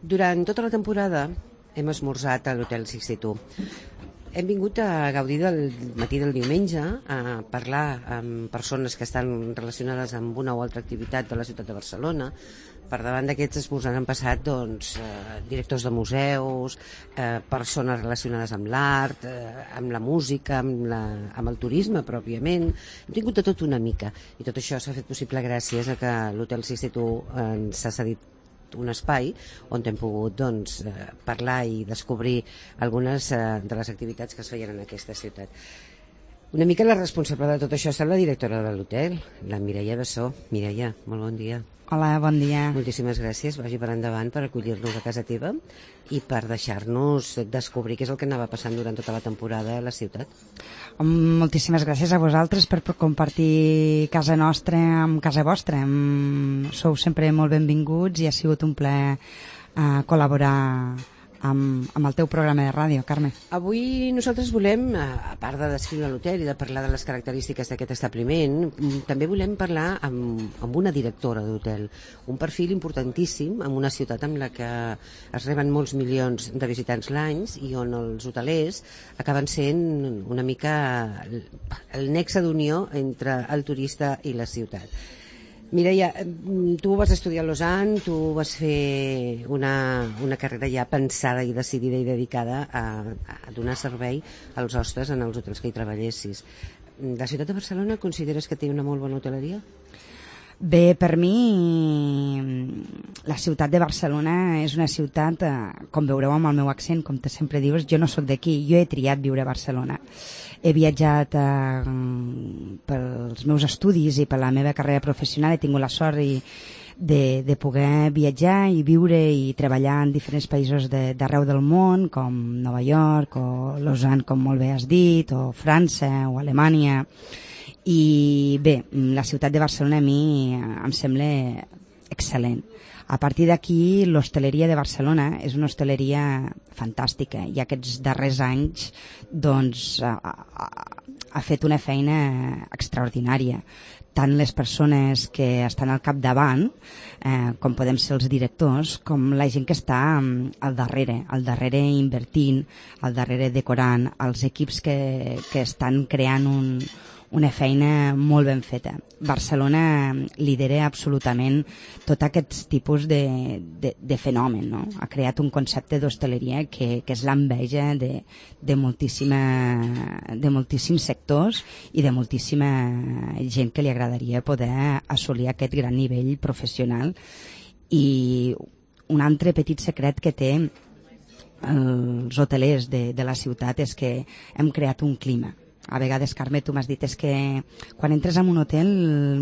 Durant tota la temporada hem esmorzat a l'Hotel 62. Hem vingut a gaudir del matí del diumenge, a parlar amb persones que estan relacionades amb una o altra activitat de la ciutat de Barcelona. Per davant d'aquests esmorzars han passat directors de museus, persones relacionades amb l'art, amb la música, amb el turisme pròpiament. Hem tingut de tot una mica, i tot això s'ha fet possible gràcies a que l'Hotel 62 ens ha cedit un espai on hem pogut parlar i descobrir algunes de les activitats que es feien en aquesta ciutat. Una mica la responsable de tot això ha estat la directora de l'hotel, la Mireia Bessó. Mireia, molt bon dia. Hola, bon dia. Moltíssimes gràcies, vagi per endavant, per acollir-nos a casa teva i per deixar-nos descobrir què és el que anava passant durant tota la temporada a la ciutat. Moltíssimes gràcies a vosaltres per compartir casa nostra amb casa vostra. Sou sempre molt benvinguts i ha sigut un plaer col·laborar amb el teu programa de ràdio, Carme. Avui nosaltres volem, a part de descriure l'hotel i de parlar de les característiques d'aquest establiment, també volem parlar amb una directora d'hotel, un perfil importantíssim en una ciutat en la que es reben molts milions de visitants l'any i on els hotelers acaben sent una mica el nexe d'unió entre el turista i la ciutat. Mireia, tu vas estudiar a Lausanne, tu vas fer una carrera ja pensada i decidida i dedicada a donar servei als hostes en els hotels que hi treballessis. La ciutat de Barcelona consideres que té una molt bona hoteleria? Bé, per mi la ciutat de Barcelona és una ciutat, com veureu amb el meu accent, com te sempre dius, jo no sóc d'aquí, jo he triat viure a Barcelona. He viatjat pels meus estudis i per la meva carrera professional, he tingut la sort de poder viatjar i viure i treballar en diferents països d'arreu del món, com Nova York o Lausanne, com molt bé has dit, o França o Alemanya. I bé, la ciutat de Barcelona a mi em sembla excel·lent. A partir d'aquí, l'hostaleria de Barcelona és una hostaleria fantàstica i aquests darrers anys ha fet una feina extraordinària. Tant les persones que estan al capdavant, com podem ser els directors, com la gent que està al darrere invertint, al darrere decorant, els equips que estan creant una feina molt ben feta. Barcelona lidera absolutament tot aquest tipus de fenomen, no? Ha creat un concepte d'hostaleria que és l'enveja de moltíssims sectors i de moltíssima gent que li agradaria poder assolir aquest gran nivell professional. I un altre petit secret que té els hotelers de la ciutat és que hem creat un clima. A vegades, Carme, tu m'has dit és que quan entres en un hotel,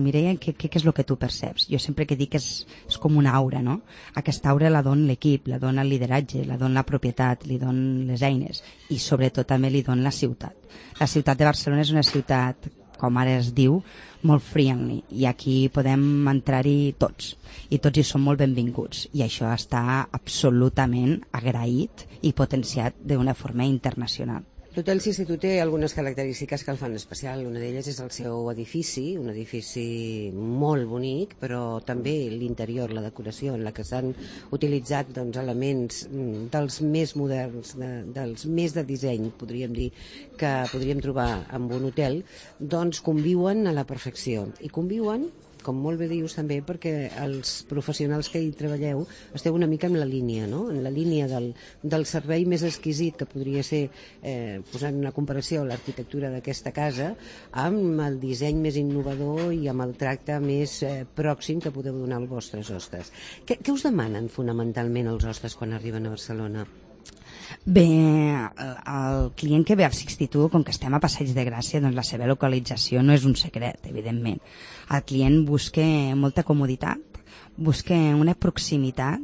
Mireia, què és el que tu perceps? Jo sempre que dic és com una aura, no? Aquesta aura la dona l'equip, la dona el lideratge, la dona la propietat, li dona les eines i sobretot també li dona la ciutat. La ciutat de Barcelona és una ciutat, com ara es diu, molt friendly i aquí podem entrar-hi tots i tots hi som molt benvinguts i això està absolutament agraït i potenciat d'una forma internacional. L'Hotel 62 té algunes característiques que el fan especial. Una d'elles és el seu edifici, un edifici molt bonic, però també l'interior, la decoració en la que s'han utilitzat elements dels més moderns, dels més de disseny, podríem dir, que podríem trobar en un hotel, doncs conviuen a la perfecció. I conviuen, com molt bé dius també, perquè els professionals que hi treballeu esteu una mica en la línia, no? En la línia del servei més exquisit que podria ser, posant una comparació, l'arquitectura d'aquesta casa amb el disseny més innovador i amb el tracte més pròxim que podeu donar als vostres hostes. Què us demanen fonamentalment els hostes quan arriben a Barcelona? Bé, el client que ve al 62, com que estem a Passeig de Gràcia, doncs la seva localització no és un secret, evidentment. El client busca molta comoditat, busca una proximitat,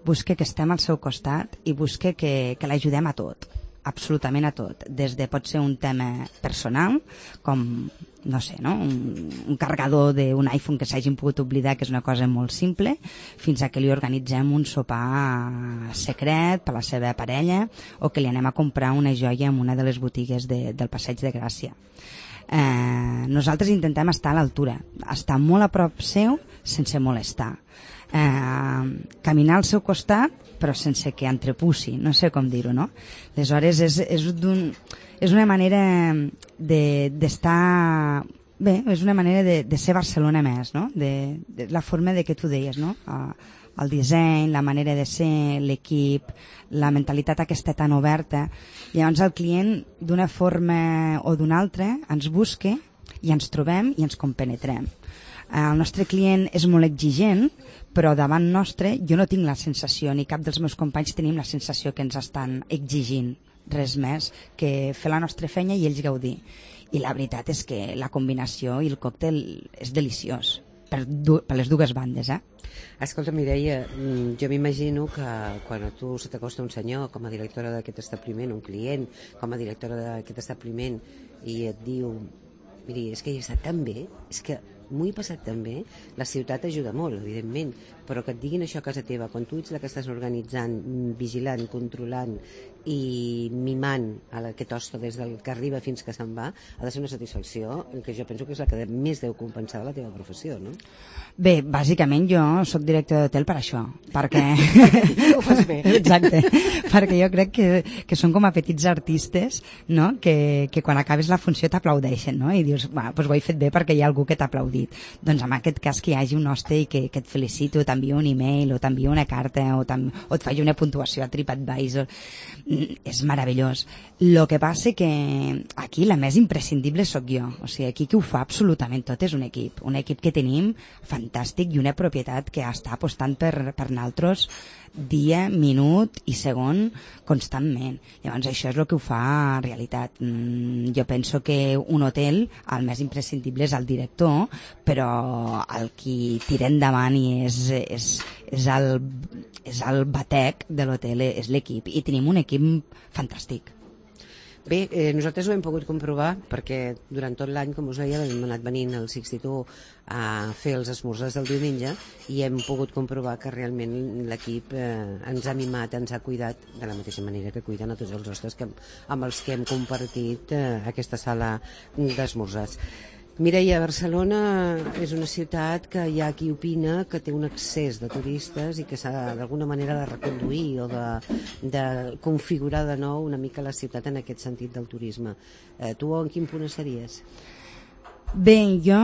busca que estem al seu costat i busca que l'ajudem a tot, absolutament a tot. Des de pot ser un tema personal, com no sé, no? Un carregador d'un iPhone que s'hagin pogut oblidar, que és una cosa molt simple, fins a que li organitzem un sopar secret per la seva parella o que li anem a comprar una joia en una de les botigues del Passeig de Gràcia. Nosaltres intentem estar a l'altura, estar molt a prop seu sense molestar. caminar al seu costat però sense que entrepussi, no sé com dir-ho, no? Aleshores és una manera d'estar... Bé, és una manera de ser Barcelona més, no? De la forma de que tu deies, no? El disseny, la manera de ser, l'equip, la mentalitat aquesta tan oberta. Llavors el client, d'una forma o d'una altra, ens busca i ens trobem i ens compenetrem. El nostre client és molt exigent, però davant nostre jo no tinc la sensació, ni cap dels meus companys tenim la sensació que ens estan exigint res més que fer la nostra feina i ells gaudir. I la veritat és que la combinació i el còctel és deliciós per les dues bandes, Escolta, Mireia, jo m'imagino que quan a tu se t'acosta un senyor com a directora d'aquest establiment, un client com a directora d'aquest establiment, i et diu, miri, és que hi he estat tan bé, és que m'ho he passat tan bé, la ciutat ajuda molt, evidentment, però que et diguin això a casa teva, quan tu ets la que estàs organitzant, vigilant, controlant i mimant aquest hoste des del que arriba fins que se'n va, ha de ser una satisfacció que jo penso que és la que més deu compensar de la teva professió, no? Bé, bàsicament jo sóc director d'hotel per això, perquè... Ho fas bé. Exacte, perquè jo crec que són com a petits artistes, no? que quan acabes la funció t'aplaudeixen, no? I dius, doncs ho he fet bé perquè hi ha algú que t'ha aplaudit. Doncs en aquest cas que hi hagi un hoste i que et felicito, t'envio un email o t'envio una carta o et faci una puntuació a TripAdvisor, és meravellós. El que passa que aquí la més imprescindible sóc jo, o sigui, aquí qui ho fa absolutament tot és un equip que tenim fantàstic i una propietat que està apostant per naltros dia, minut i segon constantment. Llavors això és el que ho fa realitat. Jo penso que un hotel el més imprescindible és el director, però el qui tira endavant i és el batec de l'hotel, és l'equip, i tenim un equip fantàstic. Bé, nosaltres ho hem pogut comprovar perquè durant tot l'any, com us deia, hem anat venint al Sixty-Two a fer els esmorzars del diumenge i hem pogut comprovar que realment l'equip ens ha mimat, ens ha cuidat de la mateixa manera que cuiden a tots els hostes amb els que hem compartit aquesta sala d'esmorzars. Mireia, Barcelona és una ciutat que hi ha qui opina que té un excés de turistes i que s'ha d'alguna manera de reconduir o de configurar de nou una mica la ciutat en aquest sentit del turisme. Tu en quin punt estaries? Bé, jo,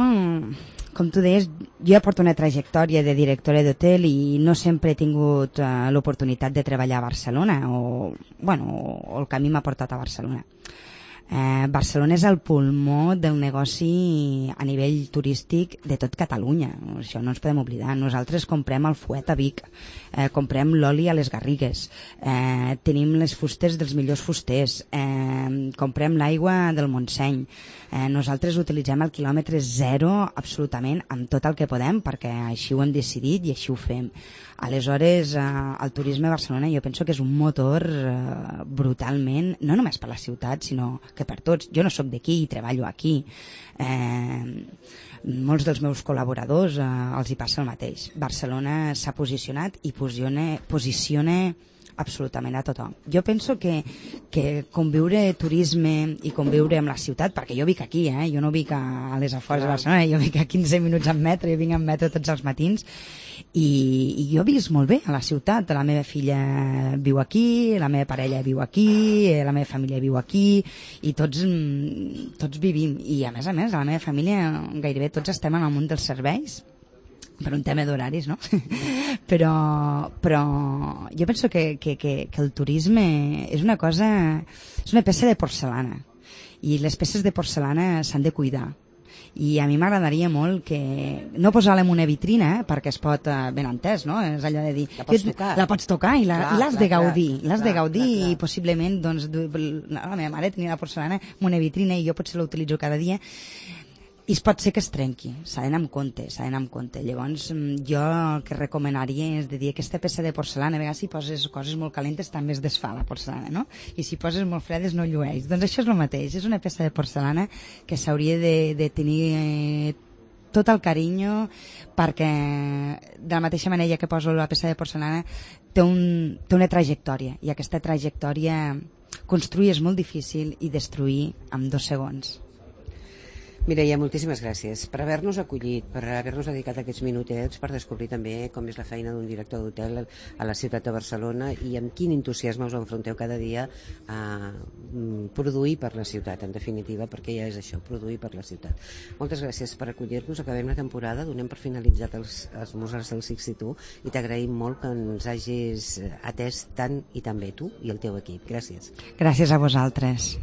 com tu deies, jo ja porto una trajectòria de directora d'hotel i no sempre he tingut l'oportunitat de treballar a Barcelona o el camí m'ha portat a Barcelona. Barcelona és el pulmó del negoci a nivell turístic de tot Catalunya, això no ens podem oblidar. Nosaltres comprem el fuet a Vic, comprem l'oli a les Garrigues, tenim les fustes dels millors fusters, comprem l'aigua del Montseny, nosaltres utilitzem el quilòmetre zero absolutament amb tot el que podem perquè així ho hem decidit i així ho fem. Aleshores, el turisme a Barcelona jo penso que és un motor brutalment, no només per la ciutat, sinó que per tots. Jo no sóc d'aquí i treballo aquí. Molts dels meus col·laboradors els hi passa el mateix. Barcelona s'ha posicionat i posiciona absolutament a tothom. Jo penso que conviure turisme i conviure amb la ciutat, perquè jo vic aquí, jo no vic a les afores de Barcelona, jo vic a 15 minuts en metro, jo vinc en metro tots els matins, i jo visc molt bé a la ciutat. La meva filla viu aquí, la meva parella viu aquí, la meva família viu aquí, i tots vivim. I a més, a la meva família gairebé tots estem en el món dels serveis, per un tema d'horaris, no? però jo penso que el turisme és una cosa, és una peça de porcelana, i les peces de porcelana s'han de cuidar. I a mi m'agradaria molt que no posar-la en una vitrina, perquè es pot, ben entès, no? És allò de dir... La pots tocar i l'has de gaudir. L'has de gaudir i possiblement, doncs, la meva mare tenia la porcelana en una vitrina i jo potser la utilitzo cada dia, i pot ser que es trenqui, s'ha d'anar amb compte, Llavors jo el que recomanaria és de dir aquesta peça de porcelana, a vegades si poses coses molt calentes també es desfà la porcelana, no? I si poses molt fredes no llueix. Doncs això és el mateix, és una peça de porcelana que s'hauria de tenir tot el carinyo, perquè de la mateixa manera que poso la peça de porcelana té una trajectòria, i aquesta trajectòria construir és molt difícil i destruir en 2 segons. Mireia, moltíssimes gràcies per haver-nos acollit, per haver-nos dedicat aquests minutets per descobrir també com és la feina d'un director d'hotel a la ciutat de Barcelona i amb quin entusiasme us enfronteu cada dia a produir per la ciutat, en definitiva, perquè ja és això, produir per la ciutat. Moltes gràcies per acollir-nos, acabem la temporada, donem per finalitzat els Mozarts del Six i tu, i t'agraïm molt que ens hagis atès tant i tan bé, tu i el teu equip. Gràcies. Gràcies a vosaltres.